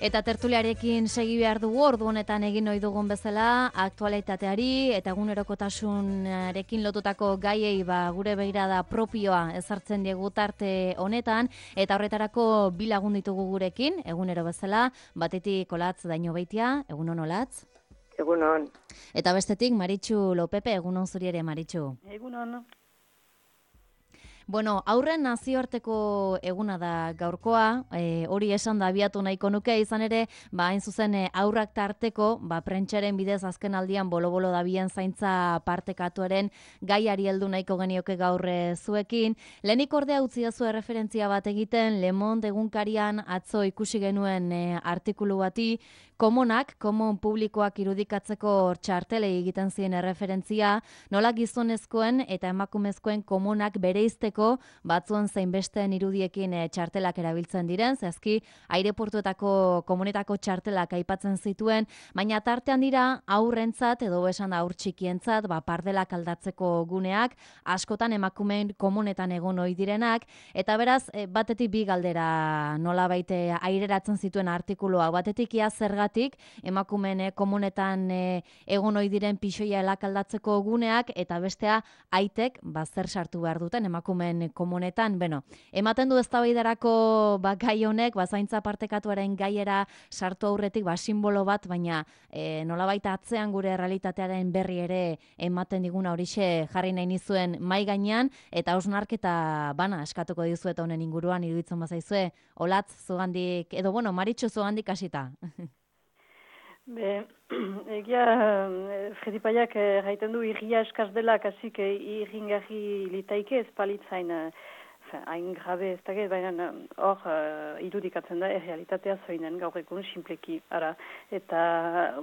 Eta tertuliarekin segi behar dugu, ordu honetan egin ohi dugun bezala, aktualitateari eta egunerokotasunarekin lotutako gaiei gure begirada propioa ezartzen diegu tarte honetan, eta horretarako bi lagun ditugu gurekin, egunero bezala, batetik Olatz Dañobeitia, egunon Olatz. Egunon. Eta bestetik Maritxu Lopepe, egunon zuri ere Maritxu. Egunon. Bueno, aurren nazioarteko eguna da gaurkoa, hori esan da abiatu nahiko nuke, izan ere, hain zuzen aurrak tarteko, prentxaren bidez azken aldian bolo-bolo dabien zaintza partekatuaren gaiari heldu nahiko genioke gaur zuekin. Lehenik ordea utzi dazu referentzia bat egiten, Le Monde egunkarian atzo ikusi genuen artikulu bati, komon publikoak irudikatzeko txartelei egiten ziren erreferentzia, nola gizonezkoen eta emakumezkoen komunak bereizteko batzuen zein besteen irudiekin txartelak erabiltzen diren, zehazki aireportuetako komunetako txartelak aipatzen zituen, baina tartean dira aurrentzat edo esan aur txikientzat, pardelak aldatzeko guneak, askotan emakumeen komunetan egon ohi direnak, eta beraz, batetik bi galdera nolabait aireratzen zituen artikulua, batetik ia zergatik emakumeen komunetan egon ohi diren pixoia elak aldatzeko guneak, eta bestea aitek zer sartu behar duten emakumeen komunetan. Ematen du eztabaidarako gai honek, zaintza partekatuaren gaiera sartu aurretik simbolo bat, baina nolabait atzean gure realitatearen berri ere ematen diguna horixe jarri nahi nizuen mai gainean, eta hausnarketa bana eskatuko dizuet honen inguruan iruditzen bazaizue, Olatz zugandik, edo Maritxu zugandik hasita. Egia Fredi Paiak gaiten du irria eskaz dela, kasik irringarri litaike ez palitzain hain grabe ez da, baina hor irudikatzen da errealitatea zoinen gaur egun simpleki, ara, eta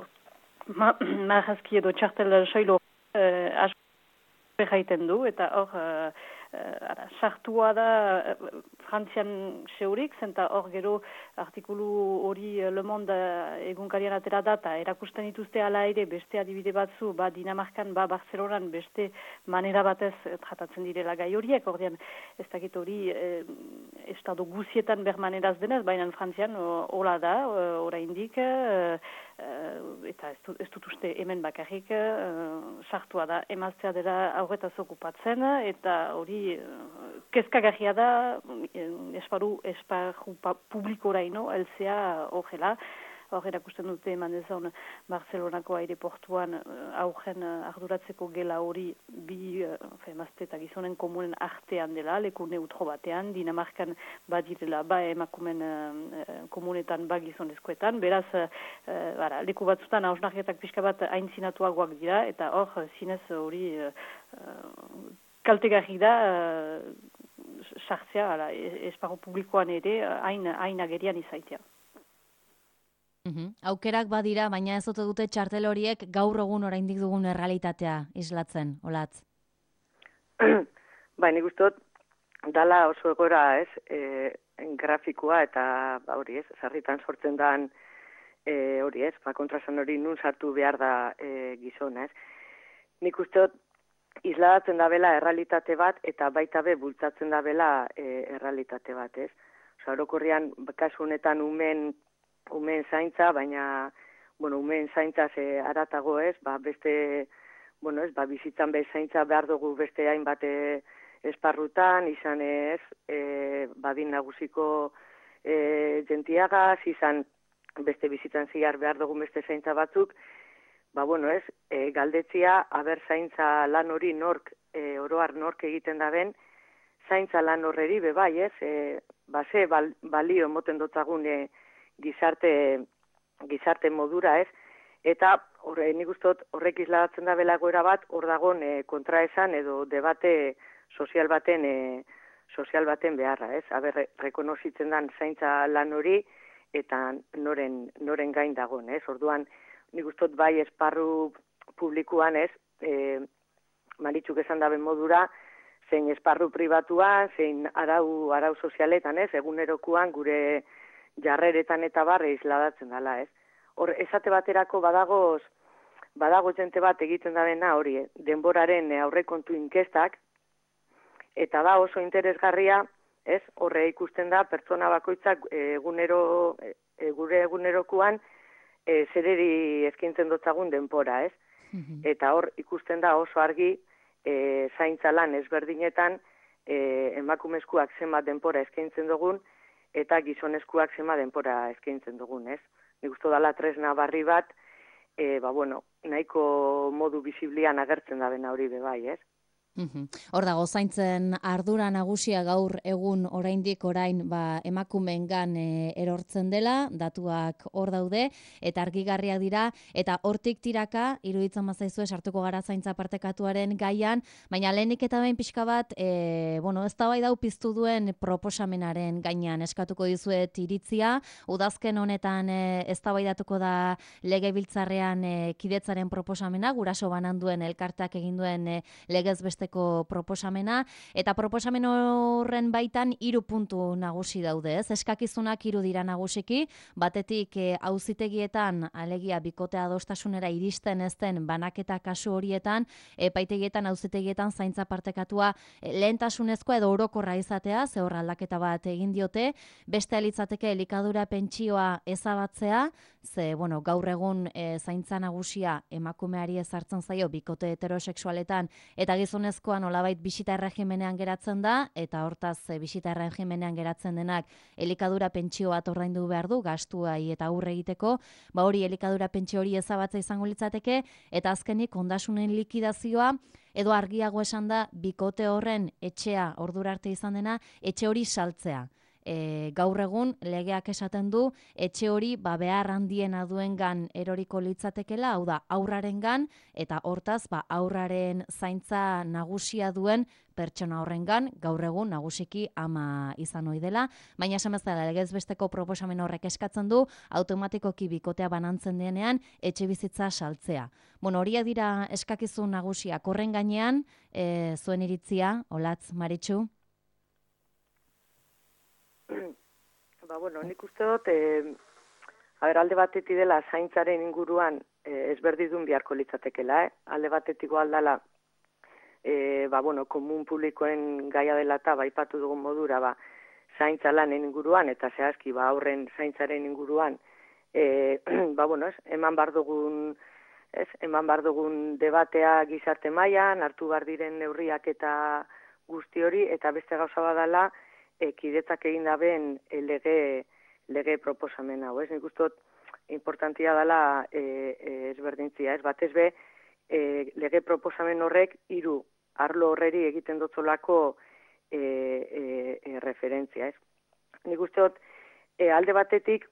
marrazki edo txartel soilo asko gaiten du, eta hor sartua da Frantzian seurik, zenta hor gero artikulu hori Le Monde egunkarian atera da, eta erakusten dituzte ala ere beste adibide batzu, Dinamarkan, Barcelonan beste manera batez tratatzen direla gai horiek, ordean ez dakit hori estado guzietan bermaneraz denez, baina Frantzian hola da, oraindik, eta ez dut uste hemen bakarrik sartua da, emaztea dela aurretaz okupatzen, eta hori kezkagarria da esparru publikoraino elzea horrela. Hor erakusten dute eman dezan Barcelonako aireportuan aurren arduratzeko gela hori bi emazte eta gizonen komunen artean dela, leku neutro batean, Dinamarkan badirela emakumen komunetan gizonezkoetan, beraz leku batzutan hausnarketak pixka bat aintzinatuagoak dira, eta hor zinez hori kaltegarri da sartzea esparru publikoan ere hain agerian izaitea. Aukerak badira, baina ez ote dute txartel horiek gaur egun oraindik dugun errealitatea islatzen, Olatz? Nik uste dala oso egora grafikoa eta hori sarritan sortzen dan hori kontrasan hori nun sartu behar da gizona. Nik uste isladatzen da bela errealitate bat eta baita be bultzatzen da bela errealitate bat. Orokorrean kasu honetan umen zaintza, baina umen zaintza aratago beste, bizitzan bez zaintza behar dugu beste hainbat esparrutan, izan badin nagusiko jentiagaz, izan beste bizitzan ziar behar dugu beste zaintza batzuk, galdetzia, aber zaintza lan hori oroar nork egiten da ben, zaintza lan horreri bebai, ze balio emoten dotzagun gizarte modura, eta nik ustot horrek isladatzen da bela goera bat, hor dagon kontraesan edo debate sozial baten beharra, aber rekonozitzen dan zaintza lan hori eta noren gain dagon, orduan nik ustot bai esparru publikoan Maritxuk esan daben modura, zein esparru pribatuan, zein arau sozialetan, egunerokoan gure jarreretan eta barre isladatzen dela, Hor, esate baterako badago jente bat egiten da dena hori, denboraren aurrekontu inkestak, eta da oso interesgarria, horre ikusten da pertsona bakoitzak egunero gure egunerokuan zereri eskaintzen dotzagun denpora, ez? Eta hor ikusten da oso argi zaintza lan ezberdinetan emakumezkoak zenbat denpora eskaintzen dugun eta gizonezkoak zenbat denpora eskaintzen dugun, ez? Nik uste dela tresna barri bat, nahiko modu bisiblian agertzen da bena hori bebai, ez? Hor dago, zaintzen ardura nagusia gaur egun oraindik emakumeengan erortzen dela, datuak hor daude, eta argigarriak dira, eta hortik tiraka, iruditzen mazaizue, sartuko gara zaintza partekatuaren gaian, baina lehenik eta behin pixka bat, eztabaida hau piztu duen proposamenaren gainean eskatuko dizuet iritzia, udazken honetan eztabaidatuko da legebiltzarrean kidetzaren proposamena, guraso banan duen elkarteak egin duen legez besteko proposamena, eta proposamen horren baitan 3 puntu nagusi daude, ez? Eskakizunak 3 dira nagusiki, batetik auzitegietan, alegia bikote adostasunera iristen ez den banaketa kasu horietan, epaitegietan, auzitegietan zaintza partekatua lehentasunezkoa edo orokorra izatea, ze hor aldaketa bat egin diote, beste litzateke elikadura pentsioa ezabatzea, ze, gaur egun zaintza nagusia emakumeari ezartzen zaio bikote heterosexualetan eta gizonezkoa nolabait bisita erregimenean geratzen da, eta hortaz bisita erregimenean geratzen denak elikadura pentsio bat ordaindu behar du, gastuai eta aurre egiteko, hori elikadura pentsio hori ezabatza izango litzateke, eta azkenik ondasunen likidazioa, edo argiago esan da, bikote horren etxea ordura arte izan dena, etxe hori saltzea. Gaur egun legeak esaten du etxe hori behar handiena duengan eroriko litzatekela, hau da aurrarengan, eta hortaz aurraren zaintza nagusia duen pertsona horrengan gaur egun nagusiki ama izan ohi dela, baina esan bezala legez besteko proposamen horrek eskatzen du automatikoki bikotea banantzen denean etxe bizitza saltzea. Horiek dira eskakizun nagusiak. Horren gainean, zuen iritzia, Olatz, Maritxu? Nik uste dut, alde batetik dela zaintzaren inguruan ezberdidun beharko litzatekela, alde batetik aldala, komun publikoen gaia dela eta baipatu dugun modura, zaintza lanen inguruan, eta zehazki, aurren zaintzaren inguruan, eman bar dugun debatea gizarte mailan, hartu bar diren neurriak eta guzti hori, eta beste gauza badala, kidetzak egin daben lege proposamen hau, ez? Nik uste dut importantia dela ezberdintzia, ez? Batez be, lege proposamen horrek 3 arlo horreri egiten dotzolako referentzia, ez? Nik uste dut alde batetik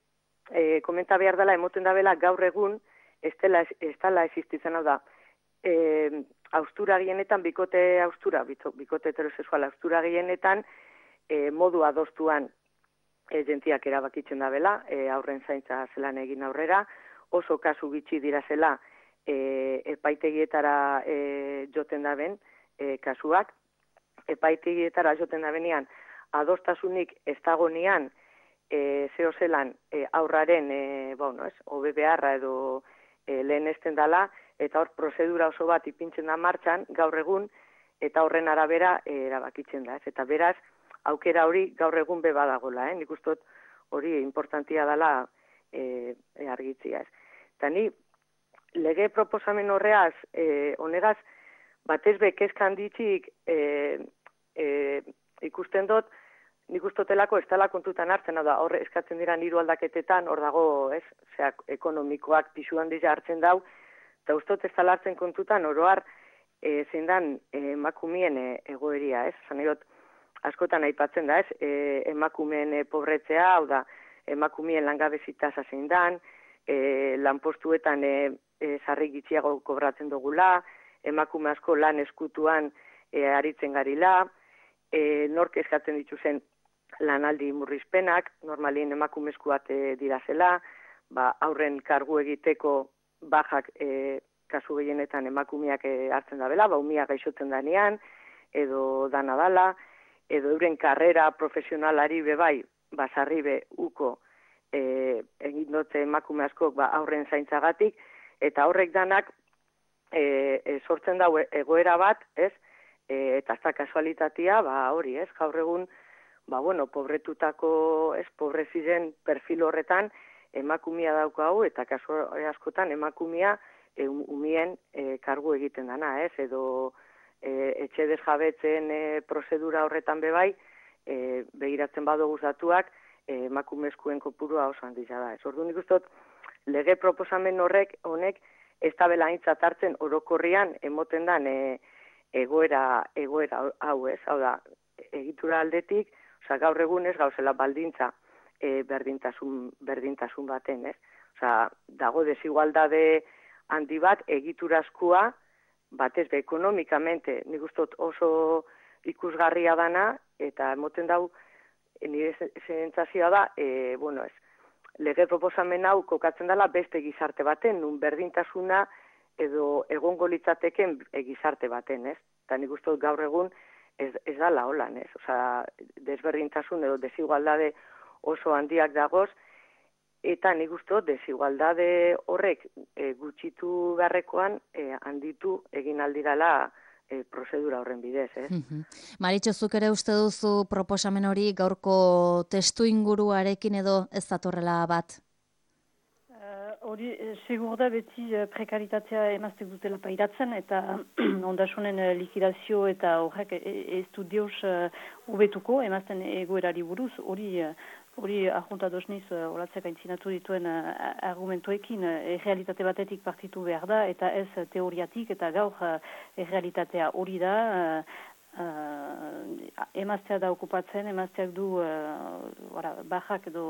komenta behar dela, emoten dabela gaur egun ez dela existitzen, hau da, haustura gehienetan, bikote heterosexual haustura gehienetan, modu adostuan jentiak erabakitzen da bela, aurren zaintza zelan egin aurrera, oso kasu bitxi dira zela epaitegietara joten daben kasuak, epaitegietara joten dabenean adostasunik ez dagonean zeo zelan aurraren hobe beharra edo lehenesten dala, eta hor prozedura oso bat ipintzen da martxan gaur egun, eta horren arabera erabakitzen da, eta beraz, aukera hori gaur egun badagola, nik uste dut hori importantia dela argitzia, ez. Eta ni lege proposamen horreaz, honegaz, batez kezka handitzik ikusten dut, nik ustotelako ez dela kontutan hartzen, da horre eskatzen dira 3 aldaketetan, hor dago, ez, ekonomikoak pisu handia hartzen dau, eta ustot ez dela hartzen kontutan, oroar zein dan emakumeen egoeria, ez, zaneiot, askotan aipatzen da, ez, emakumeen pobretzea, hau da, emakumeen langabezitasa zein dan, lanpostuetan sarri gitxiago kobratzen dugula, emakume asko lan eskutuan aritzen garila, nork eskatzen dituzen lanaldi murrizpenak, normalien emakumezkoak dira zela, aurren kargu egiteko bajak kasu gehienetan emakumeak hartzen da bela, umia gaixotzen danean, edo dana dala, edo euren karrera profesionalari bebai, sarri be uko egin dute emakume askok aurren zaintzagatik, eta horrek danak sortzen dau egoera bat, ez? Eta ez da kasualitatea, hori, ez? Gaur egun, pobretutako, ez, pobreziren perfil horretan, emakumia daukagu, eta kasu askotan emakumia umien kargu egiten dana, ez? Edo etxe desjabetzen prozedura horretan bebai, begiratzen badugu datuak, emakumezkoen kopurua oso handia da. Ez orduan nik uste dut, lege proposamen honek ez da bela aintzat hartzen orokorrian emoten dan egoera hau, ez? Hau da, egitura aldetik, gaur egun ez gauzela baldintza berdintasun baten, ez? Dago desigualdade handi bat egiturazkoa, batez be ekonomikamente, nik uste dut oso ikusgarria dana, eta emoten dau, nire sentsazioa da, lege proposamen hau kokatzen dela beste gizarte baten, nun berdintasuna edo egongo litzateken gizarte baten, ez? Eta nik uste dut gaur egun ez dala holan, ez? Desberdintasun edo desigualdade oso handiak dagoz, eta nik uste dut desigualdade horrek gutxitu beharrekoan handitu egin aldirala prozedura horren bidez, ez? Maritxo, zuk ere uste duzu proposamen hori gaurko testu inguruarekin edo ez datorrela bat? Hori, segur da beti prekaritatea emaztek dutela pairatzen, eta ondasunen likidazio eta horrek ez du deus ubetuko emazten egoerari buruz, hori arjuntatu niz, olatzek aintzinatu dituen argumentuekin, realitate batetik partitu behar da, eta ez teoriatik, eta gaur realitatea hori da, emaztea da okupatzen, emazteak du bajak edo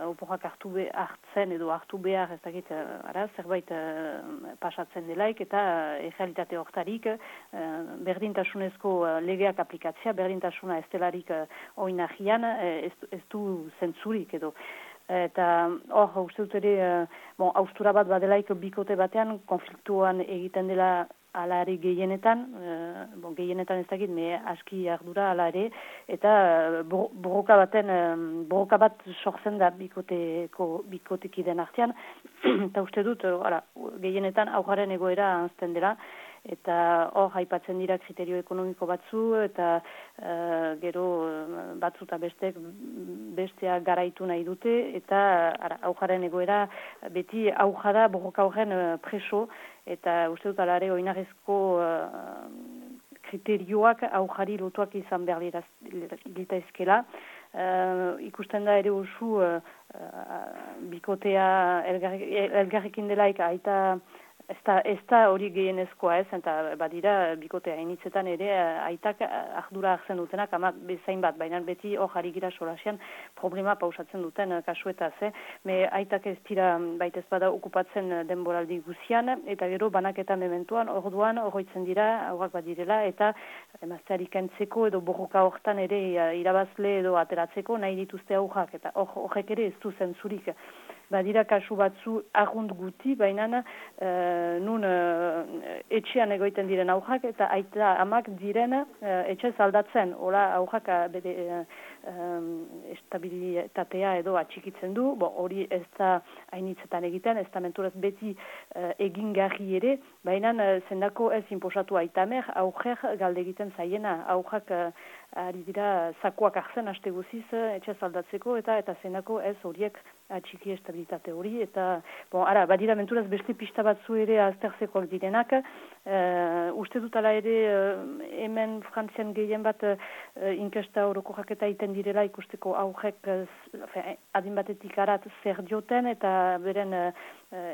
oporrak hartzen edo hartu behar, ez dakit, zerbait pasatzen delaik, eta realitate hortarik berdintasunezko legeak aplikatzea, berdintasuna ez delarik oinahian, ez du zentzurik edo. Eta hor, uste dut ere, haustura bat badelaik bikote batean, konfliktuan egiten dela ala ere gehienetan, gehienetan ez dakit, aski ardura ala ere, eta borroka bat sortzen da bikotekiden artean, eta uste dut, gehienetan aurraren egoera anzten dela, eta hor aipatzen dira kriterio ekonomiko batzu, eta gero batzu eta bestea garaitu nahi dute, eta aurraren egoera beti aurrada borroka horren preso, eta uste dut alare oinarrezko kriterioak aurrari lotuak izan behar litazkela. Ikusten da ere oso bikotea elgarrekin delaik aita ez da hori gehienezkoa ez, eta badira bikotea initzetan ere aitak ardura hartzen dutenak, ama bezain bat, baina beti hor jarri gira solasian problema pausatzen duten kasuetaz, aitak ez dira baitez bada okupatzen denboraldi guzian, eta gero banaketa mementuan, orduan horretzen dira, aurrak badirela, eta emazteari kentzeko edo borroka hortan ere irabazle edo ateratzeko nahi dituzte aurrak, eta horrek ere ez du zentzurik. Badira kasu batzu argunt guti, baina nun etxean egoiten diren aurrak eta aita amak diren etxe aldatzen. Hola aurrak bere estabilitatea edo atxikitzen du, hori ez da hainitzetan egiten, ez da menturaz beti egingarri ere, baina zendako ez inposatu aitamer, aurrek galde egiten zaiena, aurrak ari dira zakuak hartzen haste guziz etxe aldatzeko, eta zendako ez horiek atxiki estabilitate hori, eta badira menturaz beste pista batzu ere aztertzekoak direnak, uste dut ala ere hemen Frantzian gehien bat inkesta orokorrak eta iten direla ikusteko aurrek adin batetik arat zer dioten eta beren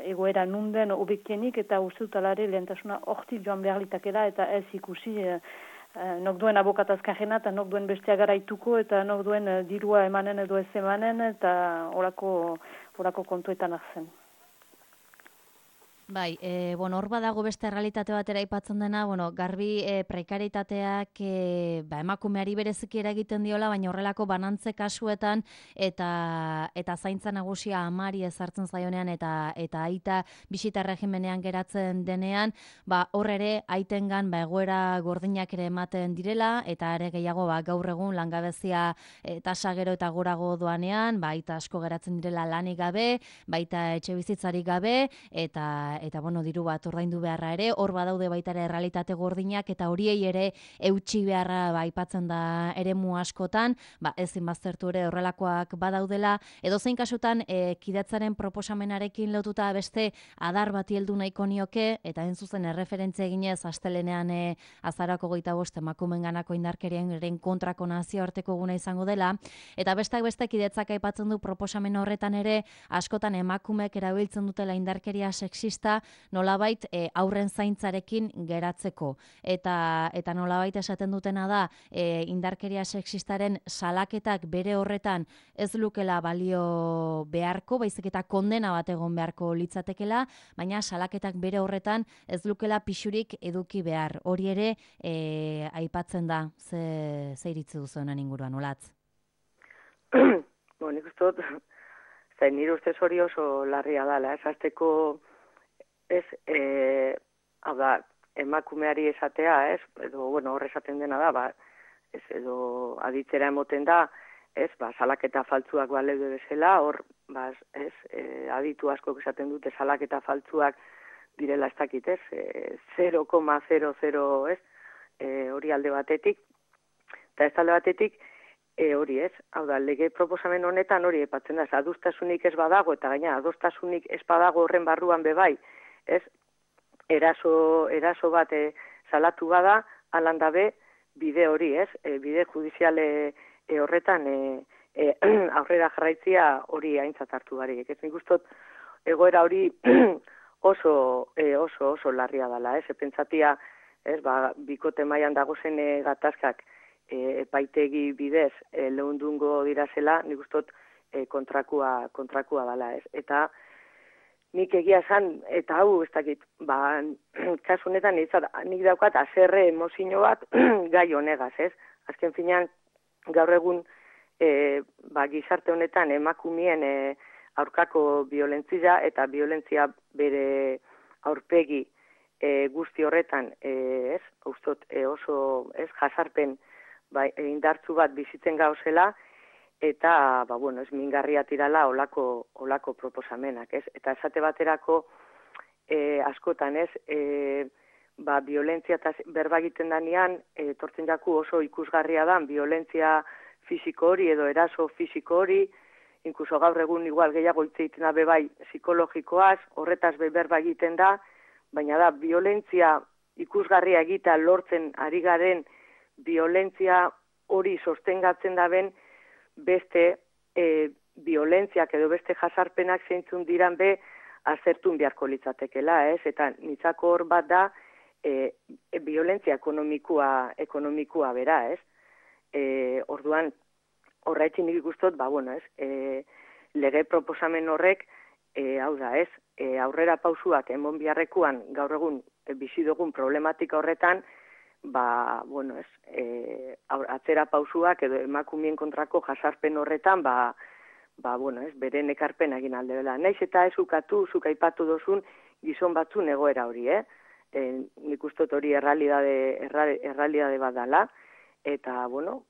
egoera nunden obekienik, eta uste dut ala ere lehentasuna hortik joan behar litakela eta ez ikusi nok duen abokatazkarrena eta nok duen bestea garaituko eta nok duen dirua emanen edo ez emanen eta horako kontuetan hartzen. Bai, hor badago beste errealitate batera aipatzen dena, garbi prekaritateak emakumeari bereziki eragiten diola, baina horrelako banantze kasuetan eta zaintza nagusia amari ezartzen zaionean eta aita bisita regimenean geratzen denean, hor ere aitengan egoera gordinak ere ematen direla, eta ere gehiago gaur egun langabezia tasa gero eta gorago doanean, aita asko geratzen direla lanik gabe, baita etxe bizitzarik gabe, eta bueno, diru bat ordaindu beharra ere, hor badaude baita ere errealitate gordinak eta horiei ere eutsi beharra aipatzen da eremu askotan, ezin baztertu ere horrelakoak badaudela, edozein kasutan kidetzaren proposamenarekin lotuta beste adar bati heldu nahiko nioke, eta hain zuzen erreferentzia eginez astelenean azarako 25 emakumeenganako indarkeriaren kontrako nazioarteko eguna izango dela, eta besteak beste kidetzak aipatzen du proposamen horretan ere askotan emakumeek erabiltzen dutela indarkeria sexista nolabait aurren zaintzarekin geratzeko. Eta nolabait esaten dutena da indarkeria sexistaren salaketak bere horretan ez lukela balio beharko, baizik eta kondena bat egon beharko litzatekela, baina salaketak bere horretan ez lukela pixurik eduki behar. Hori ere aipatzen da, ze iritzi duzu honen inguruan, Olatz? Nik uste dut, nire ustez hori oso larria dela, esazteko hau da, emakumeari esatea, edo, hor esaten dena da, edo aditzera emoten da, salaketa faltzuak baleude bezala, hor, aditu asko esaten dute salaketa faltzuak direla ez dakit, 0,00, hori alde batetik, eta ez alde batetik, hori hau da, lege proposamen honetan hori epatzen da, adostasunik ez badago, eta gaina adostasunik ez badago horren barruan bebai, eraso bat salatu bada, alandabe, bide hori, bide judiziale horretan aurrera jarraitzia hori aintzat hartu barik. Nik ustot, egoera hori oso larria dela, pentsatia, bikote mailan dagozen gatazkak epaitegi bidez lehundungo dirazela, nik ustot kontrakua dela, Eta nik egia esan, eta hau, ez dakit, kasu honetan nik daukat azerre emozio bat gai honegaz, Azken finean, gaur egun gizarte honetan emakumeen aurkako violentzia eta violentzia bere aurpegi guzti horretan, ustot oso jasarpen indartzu bat bizitzen gauzela, eta, ez mingarria tirala olako proposamenak, Eta esate baterako askotan, violentzia eta berba egiten danean, tortzen jaku oso ikusgarria da, violentzia fisiko hori edo eraso fisiko hori, inkluso gaur egun igual gehiago hitz egiten da bebai psikologikoaz, horretaz berba egiten da, baina da, violentzia ikusgarria egita lortzen ari garen violentzia hori sostengatzen daben beste violentziak edo beste jasarpenak zeintzun diran be azertun beharko litzatekela, Eta nitzako hor bat da violentzia ekonomikoa bera, Orduan, horretzin nik ikustot, lege proposamen horrek, hau da, aurrera pausuak emon biharrekuan gaur egun bizi dugun problematika horretan, atzera pausuak edo emakumeen kontrako jasarpen horretan, beren ekarpen egin alde dela. Naiz eta ez ukatu, zuk aipatu dozun gizon batzun egoera hori, nik ustot hori errealidade bat dela, eta,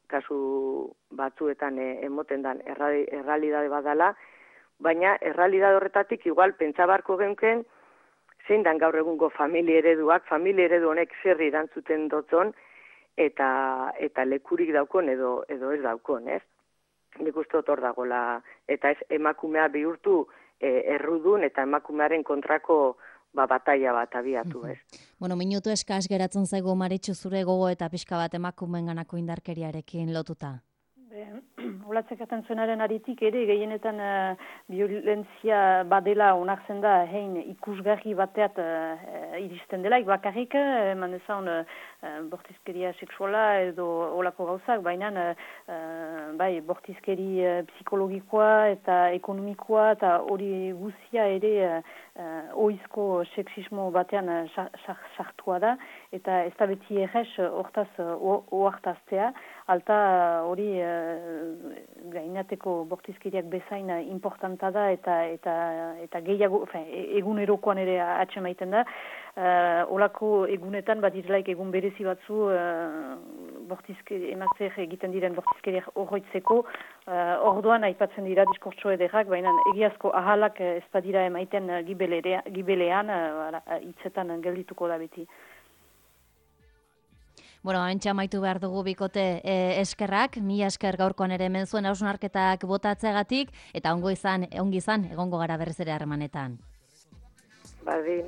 kasu batzuetan emoten dan errealidade bat dela, baina errealidade horretatik igual pentsabarko genken, zein dan gaur egungo familia eredu honek zerri erantzuten dotzon, eta lekurik daukon edo ez daukon, Nik uste hor dagoela, eta ez emakumea bihurtu errudun eta emakumearen kontrako bataila bat abiatu, Minutu eskaz geratzen zaigu Maritxu zure gogo eta pixka bat emakumeenganako indarkeriarekin lotuta. Olatzekaten zuenaren aritik ere, gehienetan violentzia badela onartzen da, ikusgarri bateat iristen dela, bakarrik, eman ezan bortizkeria seksuala edo olako gauzak, baina bortizkeri psikologikoa eta ekonomikoa eta hori guzia ere oizko seksismo batean sartua da, eta ez da beti errez hortaz oartaztea, alta hori gainateko bortizkeriak bezain importanta da eta gehiago, egunerokoan ere atsemaiten da. Olako egunetan badirelaik egun berezi batzu emazteak egiten diren bortizkeriak horroitzeko, orduan aipatzen dira diskurtso ederrak, baina egiazko ahalak ez badira emaiten gibelean, hitzetan geldituko da beti. Bueno, haintxe amaitu behar dugu bikote eskerrak, mila esker gaurkoan ere hemen zuen hausnarketak botatzeagatik, eta ongi izan, egongo gara berriz ere harremanetan. Bardin.